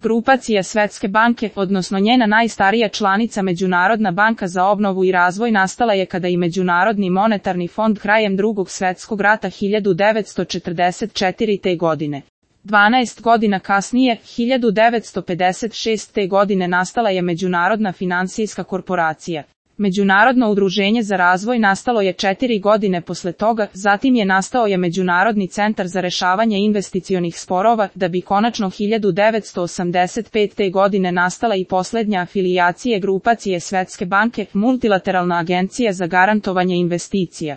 Grupacija Svetske banke, odnosno njena najstarija članica Međunarodna banka za obnovu i razvoj, nastala je kada i Međunarodni monetarni fond krajem Drugog svjetskog rata 1944. godine. 12 godina kasnije, 1956. godine, nastala je Međunarodna financijska korporacija. Međunarodno udruženje za razvoj nastalo je 4 godine posle toga, zatim je nastao je Međunarodni centar za rešavanje investicionih sporova, da bi konačno 1985. godine nastala i posljednja afilijacija grupacije Svetske banke, Multilateralna agencija za garantovanje investicija.